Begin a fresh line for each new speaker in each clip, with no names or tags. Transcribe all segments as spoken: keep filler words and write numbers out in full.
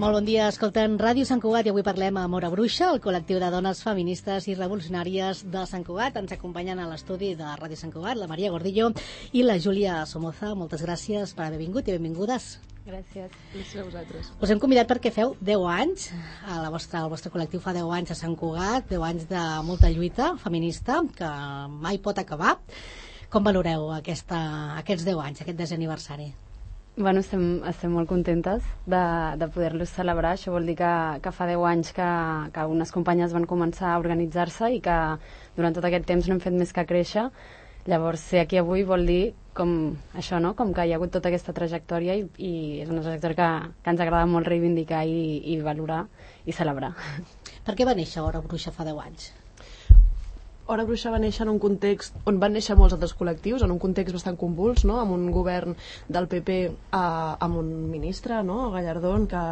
Molt bon dia, escoltem Ràdio Sant Cugat i avui parlem amb Hora Bruixa, el col·lectiu de dones feministes i revolucionàries de Sant Cugat. Ens acompanyen a l'estudi de Ràdio Sant Cugat la Maria Gordillo i la Júlia Somoza. Moltes gràcies per haver vingut i benvingudes.
Gràcies. Gràcies a vosaltres.
Us hem convidat perquè feu deu anys, a la vostra, el vostre col·lectiu fa deu anys a Sant Cugat, deu anys de molta lluita feminista que mai pot acabar. Com valoreu aquesta, aquests deu anys, aquest desè aniversari?
Bueno, estem, estem molt contentes de, de poder-los celebrar. Això vol dir que, que fa deu anys que, que unes companyes van començar a organitzar-se i que durant tot aquest temps no hem fet més que créixer. Llavors, ser aquí avui vol dir com això, no? Com que hi ha hagut tota aquesta trajectòria i, i és una trajectòria que, que ens agrada molt reivindicar i, i valorar i celebrar.
Per què va néixer Hora Bruixa fa deu anys?
Hora Bruixa va néixer en un context on van néixer molts altres col·lectius, en un context bastant convuls, no? Amb un govern del P P, eh, amb un ministre, no? Gallardón, que...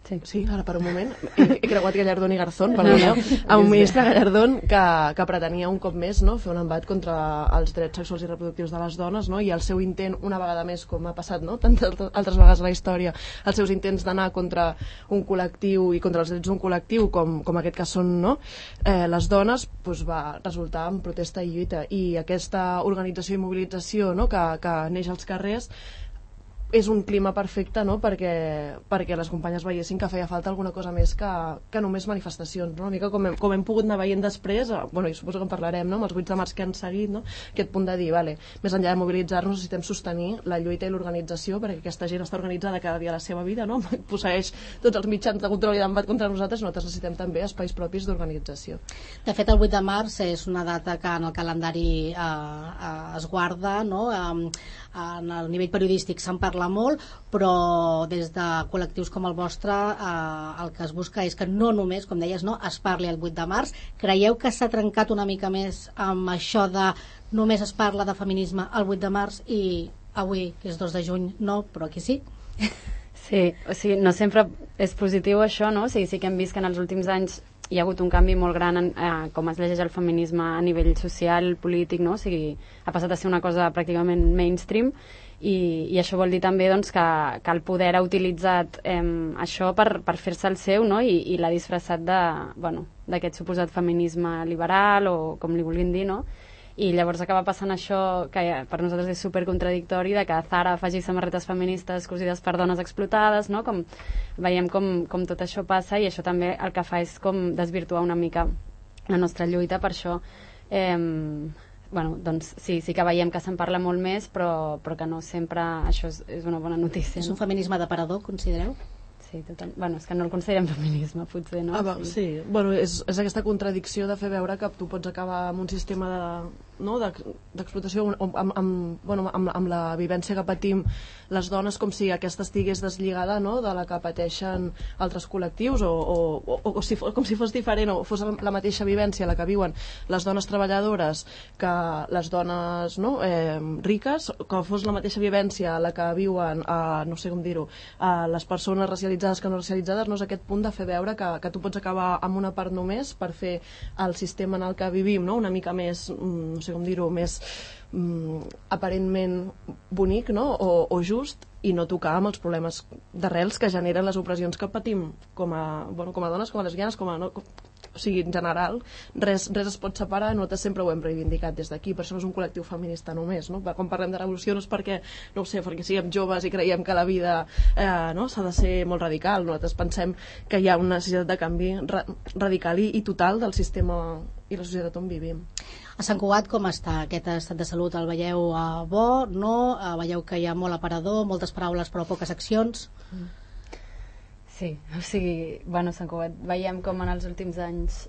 Sí, sí, ara per un moment he, he creuat Gallardón i Garzón, perdoneu, amb un ministre Gallardón que, que pretenia un cop més, no? Fer un embat contra els drets sexuals i reproductius de les dones, no? I el seu intent, una vegada més, com ha passat, no? Tantes altres vegades a la història, els seus intents d'anar contra un col·lectiu i contra els drets d'un col·lectiu com, com aquest que són, no? eh, les dones, doncs va resultar en protesta i lluita, i aquesta organització i mobilització, no? que, que neix als carrers és un clima perfecte, no? perquè, perquè les companyes veiessin que feia falta alguna cosa més que, que només manifestacions, no? Una mica com hem, com hem pogut anar veient després, eh, bueno, i suposo que en parlarem, no? Amb els vuit de març que han seguit, no? Aquest punt de dir, vale, més enllà de mobilitzar-nos necessitem sostenir la lluita i l'organització, perquè aquesta gent està organitzada cada dia a la seva vida, no? Posseeix tots els mitjans de control i d'embat contra nosaltres, nosaltres necessitem també espais propis d'organització.
De fet, el vuit de març és una data que en el calendari eh, eh, es guarda, no? Eh, en el nivell periodístic se'n parla molt, però des de col·lectius com el vostre eh, el que es busca és que no només, com deies, no, es parli el vuit de març. Creieu que s'ha trencat una mica més amb això de només es parla de feminisme el vuit de març i avui, que és dos de juny, no, però aquí sí?
Sí, o sigui, no sempre és positiu això, no? O sigui, sí que hem vist que en els últims anys hi ha hagut un canvi molt gran en eh, com es llegeix el feminisme a nivell social, polític, no? O sigui, ha passat a ser una cosa pràcticament mainstream i, i això vol dir també doncs, que, que el poder ha utilitzat eh, això per, per fer-se el seu, no? I, i l'ha disfressat de, bueno, d'aquest suposat feminisme liberal o com li vulguin dir, no? I llavors acaba passant això que per nosaltres és supercontradictori, de que Zara faci samarretes feministes cosides per dones explotades, no? Com veiem com, com tot això passa, i això també el que fa és com desvirtuar una mica la nostra lluita. Per això eh, bueno, doncs sí, sí que veiem que se'n parla molt més, però, però que no sempre això és, és una bona notícia.
És un
no?
feminisme d'aparador, considereu?
Sí, total. Bueno, és que no el considerem feminisme, potser, no?
Ah, va, sí. sí, bueno, és, és aquesta contradicció de fer veure que tu pots acabar amb un sistema de, no, d'explotació amb, amb, amb, bueno, amb, amb la vivència que patim les dones, com si aquesta estigués deslligada, no, de la que pateixen altres col·lectius, o, o, o, o si fos, com si fos diferent, o fos la mateixa vivència la que viuen les dones treballadores que les dones, no, eh, riques, que fos la mateixa vivència la que viuen, eh, no sé com dir-ho, eh, les persones racialitzades que no racialitzades. No és aquest punt de fer veure que, que tu pots acabar amb una part només per fer el sistema en el que vivim, no, una mica més, no sé com dir-ho, més mm, aparentment bonic, no? o, o just, i no tocar amb els problemes d'arrels que generen les opressions que patim com a, bueno, com a dones, com a lesbianes, com a, no, com, o sigui, en general, res, res es pot separar. Nosaltres sempre ho hem reivindicat des d'aquí, per això no és un col·lectiu feminista només, no? Quan parlem de revolució no és perquè, no ho sé, perquè siguem joves i creiem que la vida eh, no, s'ha de ser molt radical. Nosaltres pensem que hi ha una necessitat de canvi ra radical i, i total del sistema i la societat on vivim.
A Sant Cugat com està aquest estat de salut? El veieu eh, bo, no? Eh, veieu que hi ha molt aparador, moltes paraules però poques accions? Mm.
Sí, o sigui, bueno, Sant Cugat veiem com en els últims anys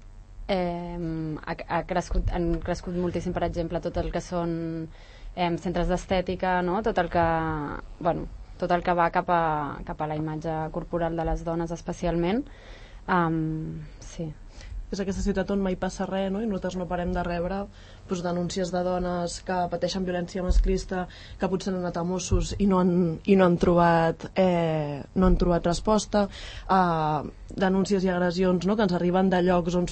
eh, ha, ha crescut, han crescut moltíssim, per exemple, tot el que són eh, centres d'estètica, no? Tot el que, bueno, tot el que va cap a, cap a la imatge corporal de les dones especialment. Um, sí.
és aquesta ciutat on mai passa res, no? I nosaltres no parem de rebre doncs, denúncies de dones que pateixen violència masclista, que potser han anat a Mossos i no han, i no han trobat eh, no han trobat resposta, eh, denúncies i agressions, no? Que ens arriben de llocs on,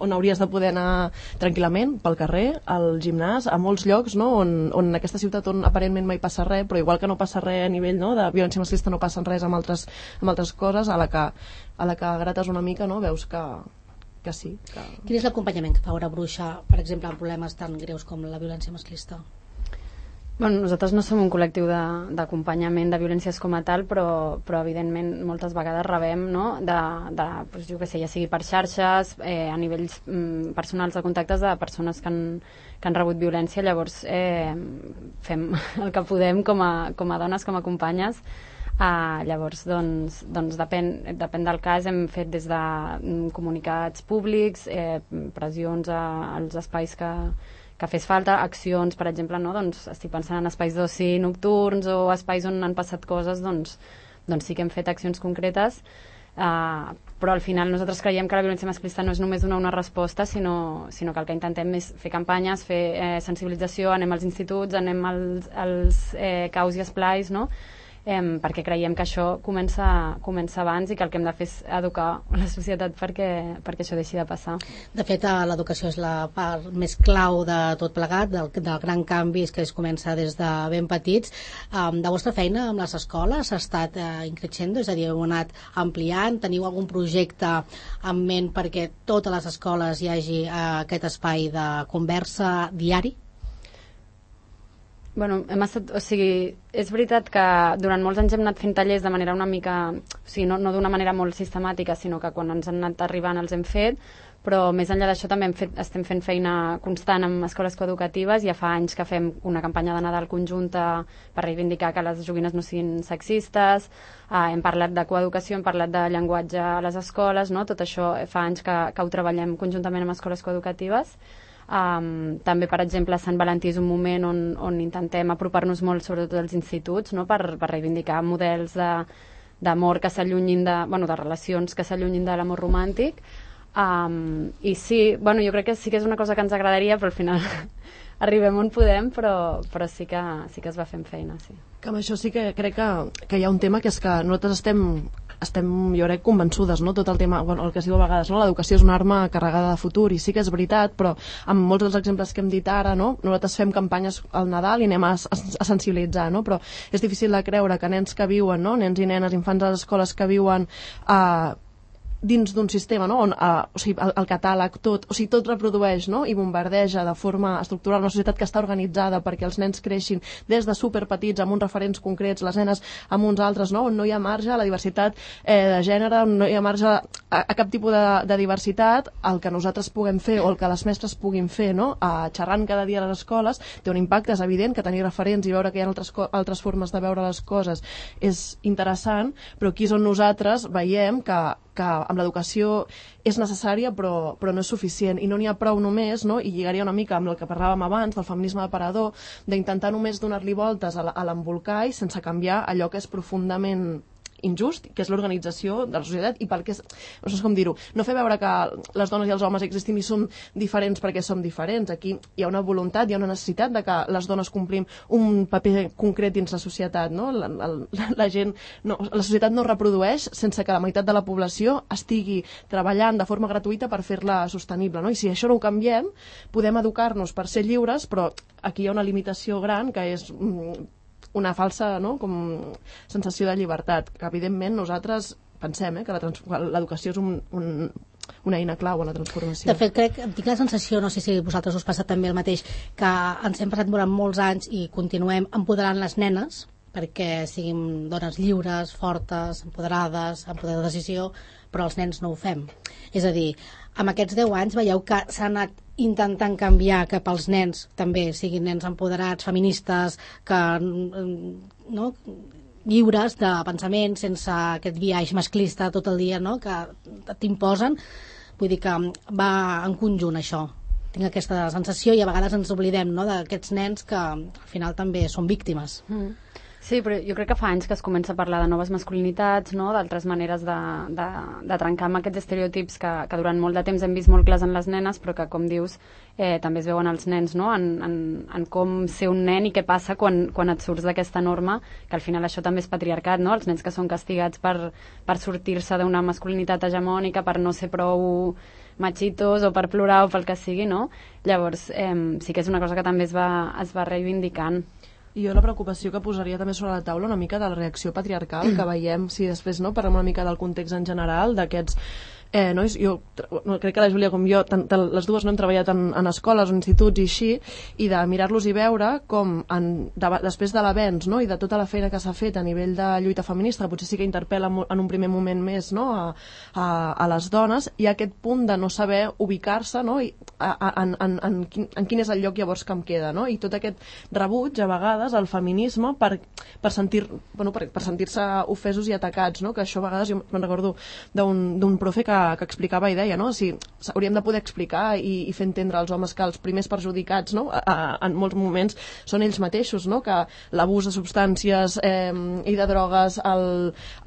on hauries de poder anar tranquil·lament pel carrer, al gimnàs, a molts llocs, no? on, on en aquesta ciutat on aparentment mai passa res, però igual que no passa res a nivell, no? De violència masclista, no passa res amb altres, amb altres coses, a la que, a la que grates una mica, no? Veus que que sí. Que...
Quin és l'acompanyament que fa Hora Bruixa, per exemple, en problemes tan greus com la violència masclista?
Bueno, nosaltres no som un col·lectiu d'acompanyament de, de violències com a tal, però, però evidentment moltes vegades rebem, no? de, de, doncs, jo què sé, ja sigui per xarxes, eh, a nivells mm, personals de contactes de persones que han, que han rebut violència, llavors eh, fem el que podem com a, com a dones, com a companyes. Uh, llavors, doncs, doncs depèn, depèn del cas, hem fet des de mm, comunicats públics, eh, pressions a, als espais que, que fes falta, accions, per exemple, no? Doncs estic pensant en espais d'oci nocturns o espais on han passat coses, doncs, doncs sí que hem fet accions concretes, uh, però al final nosaltres creiem que la violència masclista no és només donar una resposta, sinó, sinó que el que intentem és fer campanyes, fer eh, sensibilització, anem als instituts, anem als, als eh, caus i esplais, no? Eh, perquè creiem que això comença, comença abans i que el que hem de fer és educar la societat perquè, perquè això deixi de passar.
De fet, l'educació és la part més clau de tot plegat, del, del gran canvi que es comença des de ben petits. Um, de vostra feina amb les escoles ha estat uh, increixendo, és a dir, heu anat ampliant, teniu algun projecte en ment perquè totes les escoles hi hagi uh, aquest espai de conversa diari?
Bueno, hem estat, o sigui, és veritat que durant molts anys hem anat fent tallers de manera una mica, o sigui, no, no d'una manera molt sistemàtica, sinó que quan ens han anat arribant els hem fet, però més enllà d'això també hem fet, estem fent feina constant amb escoles coeducatives. Ja fa anys que fem una campanya de Nadal conjunta per reivindicar que les joguines no siguin sexistes, eh, hem parlat de coeducació, hem parlat de llenguatge a les escoles, no? Tot això fa anys que, que ho treballem conjuntament amb escoles coeducatives. Um, també, per exemple, Sant Valentí és un moment on, on intentem apropar-nos molt, sobretot als instituts, no? per, per reivindicar models d'amor que s'allunyin de, bueno, de relacions que s'allunyin de l'amor romàntic. Um, I sí, bueno, jo crec que sí que és una cosa que ens agradaria, però al final arribem on podem, però, però sí, que, sí que es va fent feina, sí.
Que amb això sí que crec que, que hi ha un tema que és que nosaltres estem, estem jo crec, convençudes, no? Tot el tema, bueno, el que es diu a vegades, no? L'educació és una arma carregada de futur, i sí que és veritat, però amb molts dels exemples que hem dit ara, no? Nosaltres fem campanyes al Nadal i anem a, a, a sensibilitzar, no? Però és difícil de creure que nens que viuen, no? Nens i nenes, infants a les escoles que viuen a eh, dins d'un sistema, no? On, uh, o sigui, el, el catàleg, tot, o sigui, tot reprodueix, no? I bombardeja de forma estructural una societat que està organitzada perquè els nens creixin des de superpetits amb uns referents concrets, les nenes amb uns altres, no? On no hi ha marge a la diversitat eh, de gènere, on no hi ha marge a, a cap tipus de, de diversitat. El que nosaltres puguem fer o el que les mestres puguin fer, no? A xerrant cada dia a les escoles té un impacte, és evident que tenir referents i veure que hi ha altres, altres formes de veure les coses és interessant, però aquí és on nosaltres veiem que que amb l'educació és necessària però, però no és suficient, i no n'hi ha prou només, no? I lligaria una mica amb el que parlàvem abans del feminisme d'aparador, d'intentar només donar-li voltes a l'embolcall sense canviar allò que és profundament injust, que és l'organització de la societat, i pel que és, no sé com dir-ho, no fer veure que les dones i els homes existim i som diferents perquè som diferents. Aquí hi ha una voluntat, hi ha una necessitat de que les dones complim un paper concret dins la societat, no? La, la, la gent, no, la societat no reprodueix sense que la meitat de la població estigui treballant de forma gratuïta per fer-la sostenible, no? I si això no ho canviem, podem educar-nos per ser lliures, però aquí hi ha una limitació gran que és una falsa, no? Com sensació de llibertat, que evidentment nosaltres pensem eh, que l'educació és un, un, una eina clau en la transformació.
De fet, crec, tinc la sensació, no sé si a vosaltres us passa també el mateix, que ens hem passat durant molts anys i continuem empoderant les nenes perquè siguin dones lliures, fortes, empoderades, amb poder de decisió, però els nens no ho fem. És a dir, amb aquests deu anys veieu que s'ha anat intentant canviar cap als nens, també siguin nens empoderats, feministes, que, no, lliures de pensament, sense aquest viatge masclista tot el dia, no, que t'imposen. Vull dir que va en conjunt això. Tinc aquesta sensació i a vegades ens oblidem, no, d'aquests nens que al final també són víctimes.
Mm. Sí, però jo crec que fa anys que es comença a parlar de noves masculinitats, no? D'altres maneres de, de, de trencar amb aquests estereotips que, que durant molt de temps hem vist molt clars en les nenes, però que, com dius, eh, també es veuen els nens, no? En, en, en com ser un nen i què passa quan, quan et surts d'aquesta norma, que al final això també és patriarcat, no? Els nens que són castigats per, per sortir-se d'una masculinitat hegemònica, per no ser prou machitos o per plorar o pel que sigui, no? Llavors, eh, sí que és una cosa que també es va, es va reivindicant.
I jo la preocupació que posaria també sobre la taula una mica de la reacció patriarcal que veiem, si després no parlem una mica del context en general, d'aquests eh, no? Jo no, crec que la Júlia com jo tant, tant, les dues no hem treballat en, en escoles o instituts i així, i de mirar-los i veure com en, de, després de l'avenç, no? I de tota la feina que s'ha fet a nivell de lluita feminista, que potser sí que interpel·la en un primer moment més, no? a, a, a les dones, hi ha aquest punt de no saber ubicar-se, no? I, a, a, en, en, en, quin, en quin és el lloc llavors que em queda, no? I tot aquest rebuig a vegades al feminisme per, per sentir bueno, per, per sentir-se ofesos i atacats, no? Que això a vegades jo me'n recordo d'un profe que que explicava i deia, no? Si hauríem de poder explicar i, i fer entendre als homes que els primers perjudicats, no? a, a, en molts moments són ells mateixos, no? Que l'abús de substàncies eh, i de drogues, el,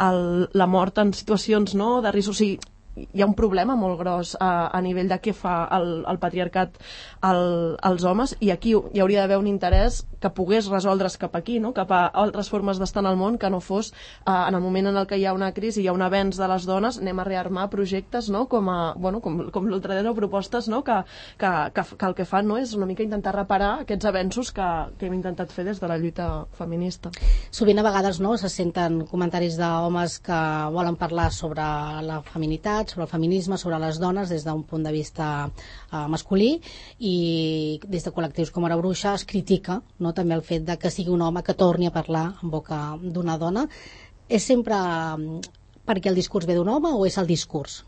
el, la mort en situacions, no? De risc, o sigui, hi ha un problema molt gros a, a nivell de què fa el, el patriarcat el, als homes, i aquí hi hauria d'haver un interès que pogués resoldre's cap aquí, no? Cap a altres formes d'estar en el món, que no fos eh, en el moment en el que hi ha una crisi, hi ha un avenç de les dones, anem a rearmar projectes, no? Com, a, bueno, com, com l'ultradreta, propostes, no? que, que, que, que el que fan, no? És una mica intentar reparar aquests avenços que, que hem intentat fer des de la lluita feminista.
Sovint a vegades, no, se senten comentaris d'homes que volen parlar sobre la feminitat, sobre el feminisme, sobre les dones des d'un punt de vista uh, masculí, i des de col·lectius com Hora Bruixa es critica, no, també el fet de que sigui un home que torni a parlar en boca d'una dona. És sempre um, perquè el discurs ve d'un home o és el discurs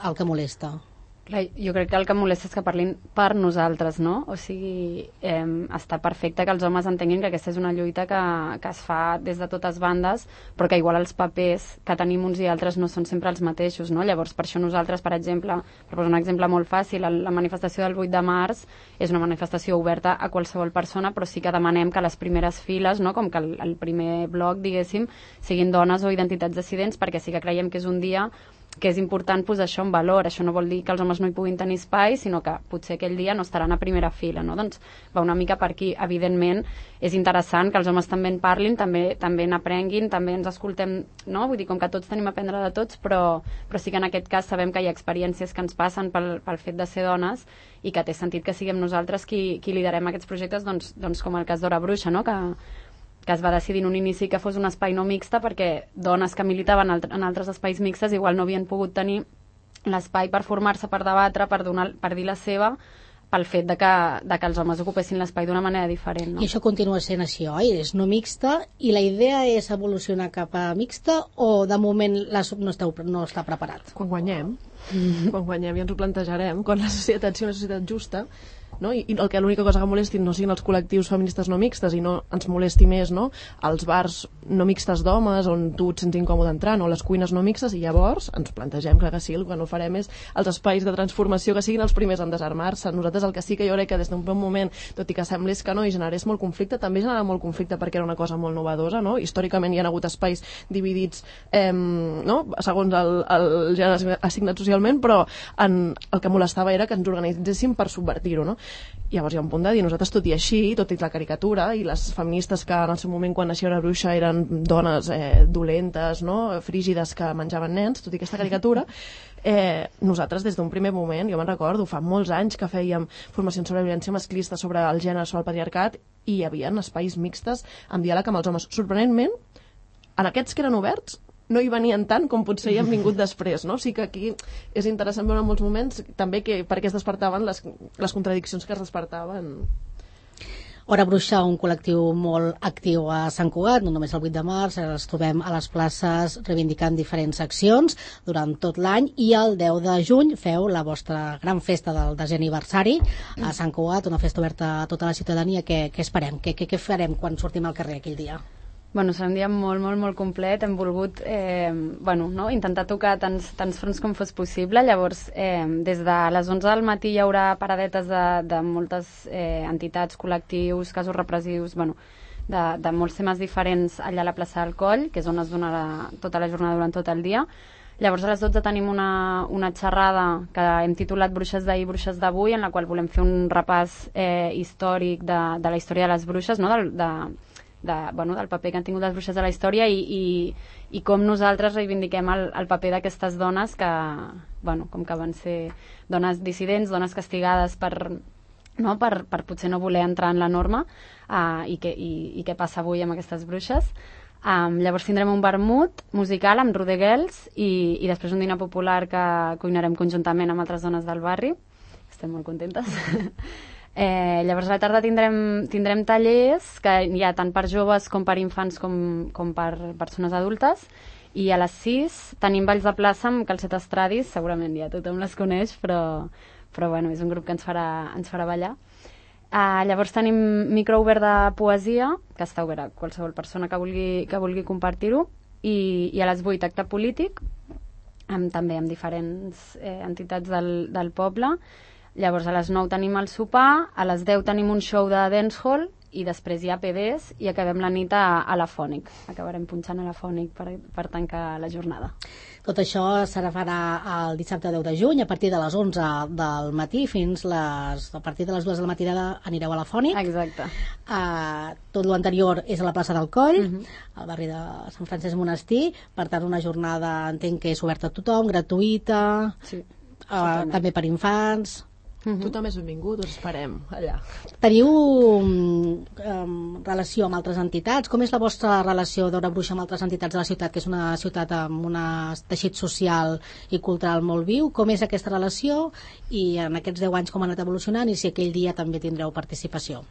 el que molesta?
Clar, jo crec que el que molesta és que parlin per nosaltres, no? O sigui, eh, està perfecte que els homes entenguin que aquesta és una lluita que, que es fa des de totes bandes, però que igual els papers que tenim uns i altres no són sempre els mateixos, no? Llavors, per això nosaltres, per exemple, per posar un exemple molt fàcil, la manifestació del vuit de març és una manifestació oberta a qualsevol persona, però sí que demanem que les primeres files, no? Com que el, el primer bloc, diguéssim, siguin dones o identitats dissidents, perquè sí que creiem que és un dia que és important posar això en valor. Això no vol dir que els homes no hi puguin tenir espai, sinó que potser aquell dia no estaran a primera fila, no? Doncs va una mica per aquí. Evidentment, és interessant que els homes també en parlin, també també n'aprenguin, també ens escoltem, no? Vull dir, com que tots tenim a aprendre de tots, però, però sí que en aquest cas sabem que hi ha experiències que ens passen pel, pel fet de ser dones i que té sentit que siguem nosaltres qui, qui liderem aquests projectes, doncs, doncs com el cas d'Hora Bruixa, no? Que, que es va decidir en un inici que fos un espai no mixta perquè dones que militaven en altres espais mixtes igual no havien pogut tenir l'espai per formar-se, per debatre, per, donar, per dir la seva, pel fet de que, de que els homes ocupessin l'espai d'una manera diferent, no?
I això continua sent així, oi? És no mixta, i la idea és evolucionar cap a mixta, o de moment la, no, esteu, no està preparat?
Quan guanyem, mm-hmm. quan guanyem ja ens ho plantejarem, quan la societat sigui una societat justa, no? I, i el que l'única cosa que molesti no siguin els col·lectius feministes no mixtes i no ens molesti més, no? Els bars no mixtes d'homes on tu et sents incòmode entrant, o les cuines no mixtes, i llavors ens plantegem, clar que sí, el que no farem és els espais de transformació que siguin els primers en desarmar-se. Nosaltres el que sí que jo crec que des d'un bon moment, tot i que semblés que no i generés molt conflicte, també generava molt conflicte perquè era una cosa molt novedosa, no? Històricament hi ha hagut espais dividits eh, no? segons el, el gènere assignat socialment, però en, el que molestava era que ens organitzéssim per subvertir-ho, no? Llavors hi ha un punt de dir, nosaltres tot i així, tot i la caricatura, i les feministes que en el seu moment quan naixia Hora Bruixa eren dones eh, dolentes, no? Frígides que menjaven nens, tot i aquesta caricatura, eh, nosaltres des d'un primer moment, jo me'n recordo, fa molts anys que fèiem formacions sobre violència masclista, sobre el gènere, sobre el patriarcat, i hi havia espais mixtes amb diàleg amb els homes. Sorprenentment, en aquests que eren oberts, no hi venien tant com potser hi han vingut després, no? O sigui que aquí és interessant veure en molts moments també que, per què es despertaven les, les contradiccions que es despertaven.
Hora Bruixa, un col·lectiu molt actiu a Sant Cugat, no només el vuit de març, els trobem a les places reivindicant diferents accions durant tot l'any, i el deu de juny feu la vostra gran festa del desè aniversari a Sant Cugat, una festa oberta a tota la ciutadania. Què, què esperem? Què, què, què farem quan sortim al carrer aquell dia?
Bueno, serà un dia molt, molt, molt complet. Hem volgut eh, bueno, no? intentar tocar tants, tants fronts com fos possible. Llavors, eh, des de les onze del matí hi haurà paradetes de, de moltes eh, entitats, col·lectius, casos repressius, bueno, de, de molts temes diferents allà a la plaça del Coll, que és on es donarà tota la jornada durant tot el dia. Llavors a les dotze tenim una, una xerrada que hem titulat Bruixes d'ahir, bruixes d'avui, en la qual volem fer un repàs eh, històric de, de la història de les bruixes, no? del, de, de, bueno, del paper que han tingut les bruixes a la història i, i, i com nosaltres reivindiquem el, el paper d'aquestes dones que, bueno, com que van ser dones dissidents, dones castigades per, no? per, per potser no voler entrar en la norma uh, i, que, i, i què passa avui amb aquestes bruixes. Um, llavors tindrem un vermut musical amb Rodegels i, i després un dinar popular que cuinarem conjuntament amb altres dones del barri. Estem molt contentes. eh, llavors a la tarda tindrem, tindrem tallers que hi ha tant per joves com per infants com, com per persones adultes, i a les sis tenim balls de plaça amb Calcet Estradis, segurament ja tothom les coneix, però, però bueno, és un grup que ens farà, ens farà ballar. Uh, llavors tenim micro obert de poesia, que està obert a qualsevol persona que vulgui, que vulgui compartir-ho, i, i a les vuit acte polític, amb, també amb diferents eh, entitats del, del poble. Llavors a les nou tenim el sopar, a les deu tenim un show de dancehall, i després hi ha P Ds i acabem la nit a, a la Fònic. Acabarem punxant a la Fònic per, per tancar la jornada.
Tot això serà farà el dissabte deu de juny, a partir de les onze del matí fins les, a partir de les dues del matí anireu a la Fònic.
Exacte.
Uh, tot l'anterior és a la plaça del Coll,
uh-huh.
al barri de Sant Francesc Monestir. Per tant, una jornada, entenc que és oberta a tothom, gratuïta,
sí.
uh, també per infants.
Uh-huh. Tothom és benvingut, us esperem allà.
Teniu um, relació amb altres entitats? Com és la vostra relació d'Hora Bruixa amb altres entitats de la ciutat, que és una ciutat amb un teixit social i cultural molt viu? Com és aquesta relació i en aquests deu anys com ha anat evolucionant, i si aquell dia també tindreu participació?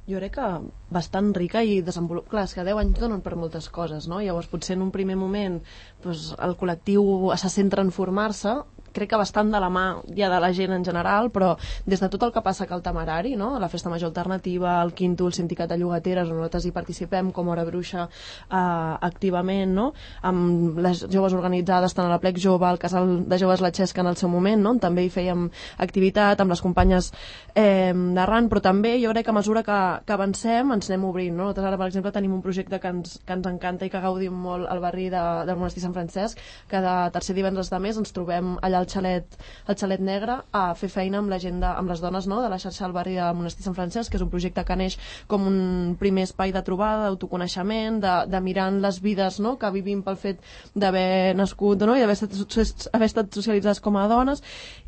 Jo crec que bastant rica i desenvolupada. Clar, és que deu anys donen per moltes coses, no? Llavors potser en un primer moment doncs, el col·lectiu se centra en formar-se, crec que bastant de la mà ja de la gent en general, però des de tot el que passa que el Temerari, no? La Festa Major Alternativa, el Quinto, el Sindicat de Llogateres, on nosaltres hi participem com Hora Bruixa eh, activament, no? Amb les joves organitzades, tant a la Plec Jove, al Casal de Joves La Xesca en el seu moment, no? On també hi fèiem activitat amb les companyes eh, d'arran, però també jo crec que a mesura que, que avancem ens anem obrint, no? Nosaltres ara, per exemple, tenim un projecte que ens, que ens encanta i que gaudim molt al barri de, del Monestir Sant Francesc, que de tercer divendres de mes ens trobem allà al xalet, al xalet negre a fer feina amb la gent de, amb les dones, no? De la xarxa del barri de Monestir Sant Francesc, que és un projecte que neix com un primer espai de trobada, d'autoconeixement, de, de mirant les vides, no? Que vivim pel fet d'haver nascut, no? I d'haver estat, haver estat socialitzades com a dones,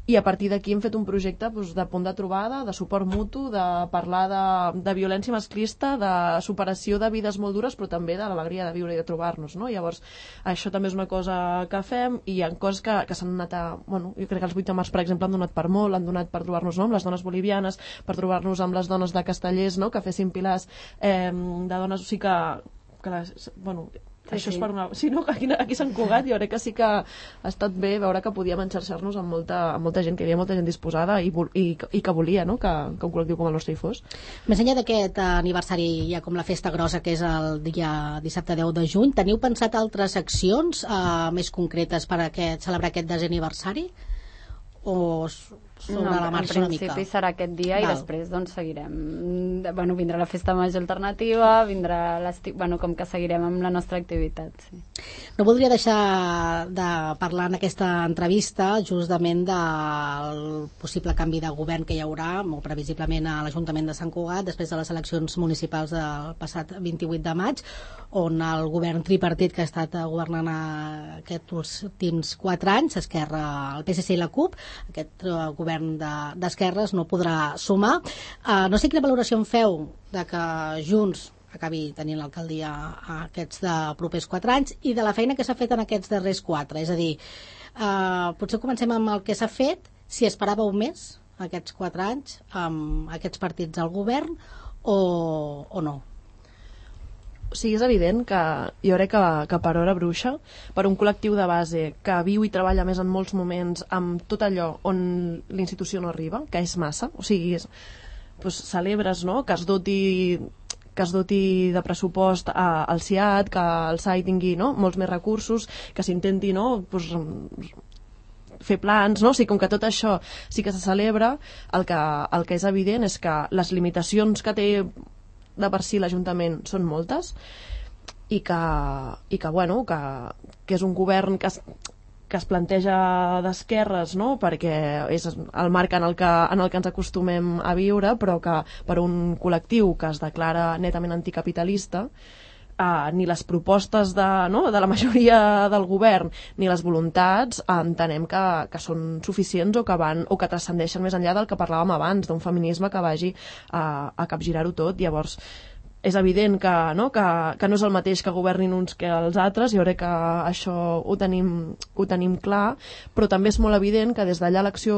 i a partir d'aquí hem fet un projecte doncs, de punt de trobada, de suport mutu, de parlar de, de violència masclista, de superació de vides molt dures, però també de l'alegria de viure i de trobar-nos, no? Llavors, això també és una cosa que fem, i hi ha coses que, que s'han anat a... Bueno, jo crec que els vuit de març, per exemple, han donat per molt, han donat per trobar-nos, no?, amb les dones bolivianes, per trobar-nos amb les dones de Castellers, no?, que fessin pilars eh, de dones, o sigui que... que les, bueno, sí, això sí. És per una... Sí, no? Aquí, aquí Sant Cugat jo crec que sí que ha estat bé veure que podíem enxarxar-nos amb molta, amb molta gent, que hi havia molta gent disposada i, i, i que volia, no?, que, que un col·lectiu com el nostre hi fos.
Més enllà d'aquest aniversari, ja com la festa grossa, que és el dia dissabte deu de juny, teniu pensat altres accions eh, més concretes per a aquest, celebrar aquest desè aniversari? O sobre
no,
la marxa una mica?
En principi serà aquest dia. Val. I després doncs seguirem, bueno, vindrà la Festa Major Alternativa, vindrà l'estiu, bueno, com que seguirem amb la nostra activitat, sí.
No voldria deixar de parlar en aquesta entrevista justament del possible canvi de govern que hi haurà, molt previsiblement a l'Ajuntament de Sant Cugat, després de les eleccions municipals del passat vint-i-vuit de maig, on el govern tripartit que ha estat governant aquests últims quatre anys, Esquerra, el P S C i la CUP, aquest govern d'esquerres no podrà sumar. Uh, no sé quina valoració en feu de que Junts acabi tenint l'alcaldia aquests de propers quatre anys i de la feina que s'ha fet en aquests darrers quatre. És a dir, uh, potser comencem amb el que s'ha fet, si esperàveu més aquests quatre anys amb aquests partits al govern o, o no.
O sigui, és evident que jo crec que, que per Hora Bruixa, per un col·lectiu de base que viu i treballa més en molts moments amb tot allò on l'institució no arriba, que és massa, o sigui, és, doncs, celebres, no?, que es doti que es doti de pressupost a, al C I A D, que el S A I tingui, no?, molts més recursos, que s'intenti, no?, doncs, fer plans, no? O sigui, com que tot això sí que se celebra, el que, el que és evident és que les limitacions que té de per si l'Ajuntament són moltes, i que, i que, bueno, que, que és un govern que es, que es planteja d'esquerres, no? Perquè és el marc en el, que, en el que ens acostumem a viure, però que per un col·lectiu que es declara netament anticapitalista, Uh, ni les propostes de, no, de la majoria del govern ni les voluntats uh, entenem que, que són suficients o que, van, o que transcendeixen més enllà del que parlàvem abans, d'un feminisme que vagi uh, a capgirar-ho tot. Llavors és evident que no, que, que no és el mateix que governin uns que els altres, jo crec que això ho tenim, ho tenim clar, però també és molt evident que des d'allà l'acció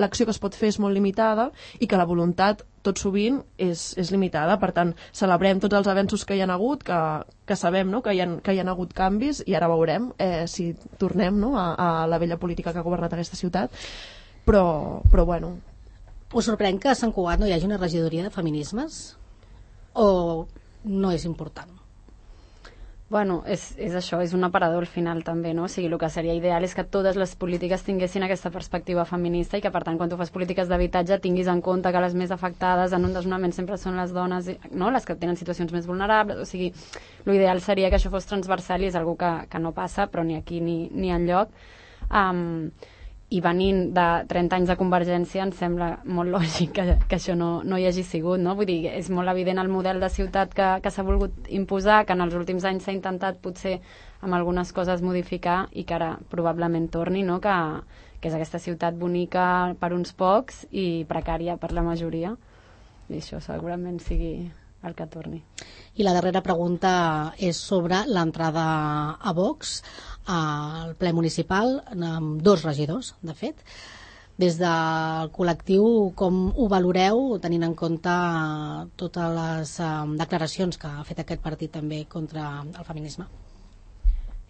l'acció que es pot fer és molt limitada i que la voluntat tot sovint és, és limitada. Per tant, celebrem tots els avenços que hi ha hagut, que, que sabem, no? que, hi ha, que hi ha hagut canvis, i ara veurem eh, si tornem, no? a, a la vella política que ha governat aquesta ciutat, però, però bueno.
Us sorprèn que a Sant Cugat no hi hagi una regidoria de feminismes? O no és important?
Bueno, és, és això, és un aparador al final també, no? O sigui, el que seria ideal és que totes les polítiques tinguessin aquesta perspectiva feminista i que, per tant, quan tu fas polítiques d'habitatge tinguis en compte que les més afectades en un desnonament sempre són les dones, no? Les que tenen situacions més vulnerables. O sigui, l'ideal seria que això fos transversal i és algo que, que no passa, però ni aquí ni, ni enlloc. Um, i venint de trenta anys de Convergència em sembla molt lògic que, que això no, no hi hagi sigut, no? Vull dir, és molt evident el model de ciutat que, que s'ha volgut imposar, que en els últims anys s'ha intentat potser amb algunes coses modificar i que ara probablement torni, no? Que, que és aquesta ciutat bonica per uns pocs i precària per la majoria, i això segurament sigui el que torni.
I la darrera pregunta és sobre l'entrada a Vox al ple municipal, amb dos regidors, de fet. Des del col·lectiu, com ho valoreu, tenint en compte totes les um, declaracions que ha fet aquest partit també contra el feminisme?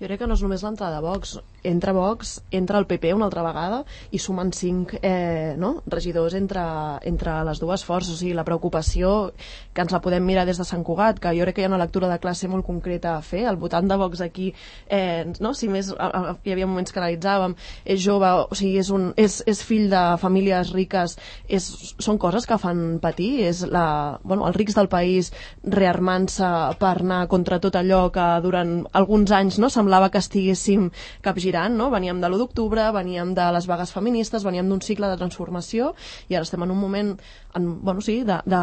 Jo crec que no és només l'entrada de Vox. Entra Vox, entra el P P una altra vegada i sumen cinc eh, no? regidors entre, entre les dues forces. O sigui, la preocupació que ens la podem mirar des de Sant Cugat, que jo crec que hi ha una lectura de classe molt concreta a fer. El votant de Vox aquí, eh, no? si més, a, a, hi havia moments que analitzàvem, és jove, o sigui, és, un, és, és fill de famílies riques, és, són coses que fan patir. És la, bueno, els rics del país rearmant-se per anar contra tot allò que durant alguns anys no, semblava que estiguéssim capgirant, no? Veníem de l'u d'octubre, veníem de les vagues feministes, veníem d'un cicle de transformació i ara estem en un moment en, bueno, sí, de, de,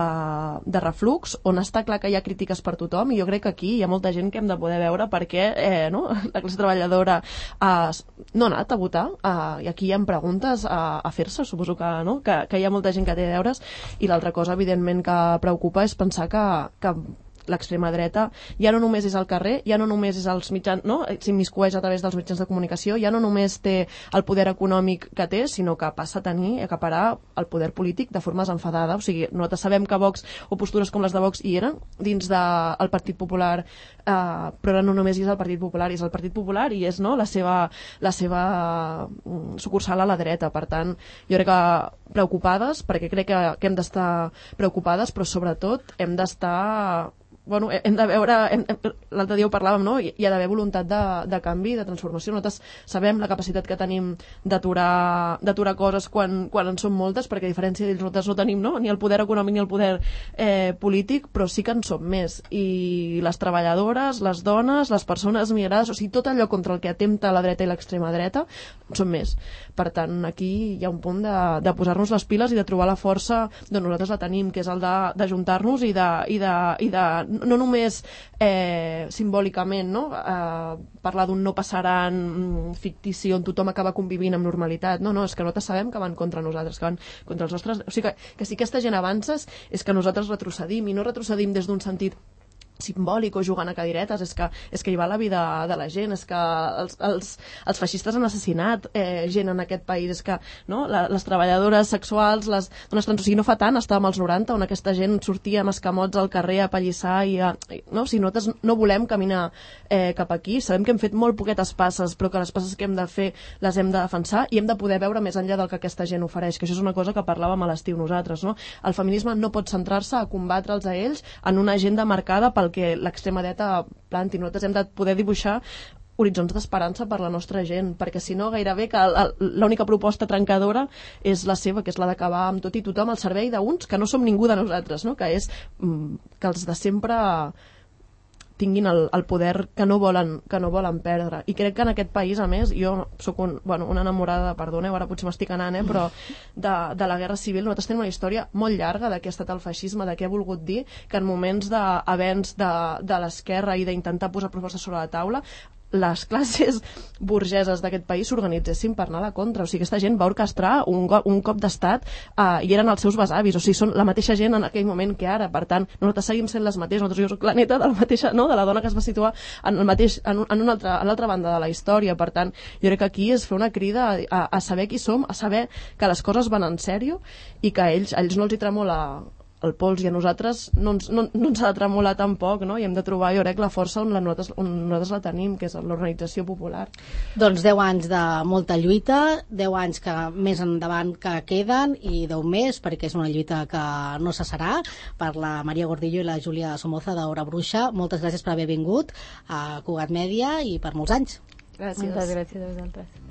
de reflux on està clar que hi ha crítiques per tothom i jo crec que aquí hi ha molta gent que hem de poder veure perquè eh, no? la classe treballadora eh, no ha anat a votar eh, i aquí hi ha preguntes a, a fer-se, suposo que, no? que, que hi ha molta gent que té deures i l'altra cosa evidentment que preocupa és pensar que, que l'extrema dreta ja no només és al carrer, ja no només és als mitjans, no? s'immiscueix a través dels mitjans de comunicació, ja no només té el poder econòmic que té, sinó que passa a tenir, a acaparar el poder polític de forma desenfadada. O sigui, nosaltres sabem que Vox o postures com les de Vox hi eren dins del de, Partit Popular, eh, però ara no només és el Partit Popular, és el Partit Popular i és no, la seva, la seva sucursal a la dreta. Per tant, jo crec que preocupades, perquè crec que, que hem d'estar preocupades, però sobretot hem d'estar bueno, hem de veure, l'altre dia ho parlàvem, no? Hi ha d'haver voluntat de, de canvi, de transformació. Nosaltres sabem la capacitat que tenim d'aturar d'aturar coses quan, quan en són moltes, perquè a diferència d'ells nosaltres no tenim no? ni el poder econòmic ni el poder eh, polític, però sí que en som més. I les treballadores, les dones, les persones migrades, o sigui, tot allò contra el que atempta la dreta i l'extrema dreta, són més. Per tant, aquí hi ha un punt de, de posar-nos les piles i de trobar la força d'on nosaltres la tenim, que és el d'ajuntar-nos i de, i de, i de no només eh, simbòlicament no? eh, parlar d'un no passaran fictici on tothom acaba convivint amb normalitat, no, no, és que nosaltres sabem que van contra nosaltres, que van contra els nostres, o sigui que, que si aquesta gent avances és que nosaltres retrocedim, i no retrocedim des d'un sentit simbòlic o jugant a cadiretes, és que, és que hi va la vida de la gent, és que els, els, els feixistes han assassinat eh, gent en aquest país, és que no, la, les treballadores sexuals, les dones trans, o sigui, no fa tant, estàvem als noranta on aquesta gent sortia amb escamots al carrer a pallissar i a, no, o sigui, nosaltres no volem caminar eh, cap aquí, sabem que hem fet molt poquetes passes, però que les passes que hem de fer les hem de defensar i hem de poder veure més enllà del que aquesta gent ofereix, que això és una cosa que parlàvem a l'estiu nosaltres, no? El feminisme no pot centrar-se a combatre'ls a ells en una agenda marcada pel que l'extrema dreta planti. Nosaltres hem de poder dibuixar horitzons d'esperança per la nostra gent, perquè si no gairebé que l'única proposta trencadora és la seva, que és la d'acabar amb tot i tothom al servei d'uns que no som ningú de nosaltres, no? Que és que els de sempre tinguin el, el poder que no, volen, que no volen perdre. I crec que en aquest país, a més, jo soc un, bueno, una enamorada, perdoneu, ara potser m'estic anant, eh, però de, de la Guerra Civil. Nosaltres tenim una història molt llarga de què ha estat el feixisme, de què ha volgut dir, que en moments d'avenç de, de l'esquerra i d'intentar posar propostes sobre la taula, les classes burgeses d'aquest país s'organitzessin per anar a la contra. O sigui, aquesta gent va orquestrar un, un cop d'estat eh, i eren els seus besavis. O sigui, són la mateixa gent en aquell moment que ara. Per tant, nosaltres seguim sent les mateixes. Nosaltres, jo soc la neta de la mateixa, no? De la dona que es va situar en el mateix, en, en una altra, a l'altra banda de la història. Per tant, jo crec que aquí és fer una crida a, a, a saber qui som, a saber que les coses van en sèrio i que a ells, a ells no els hi tremola el pols, i a nosaltres no ens, no, no ens ha de tremolar tampoc, no? I hem de trobar, jo crec, la força on, la nosaltres, on nosaltres la tenim, que és l'organització popular.
Doncs deu anys de molta lluita, deu anys que més endavant que queden, i deu més, perquè és una lluita que no cessarà. Per la Maria Gordillo i la Júlia Somoza d'Hora Bruixa, moltes gràcies per haver vingut a Cugat Mèdia i per molts anys.
Gràcies.
Moltes gràcies a vosaltres.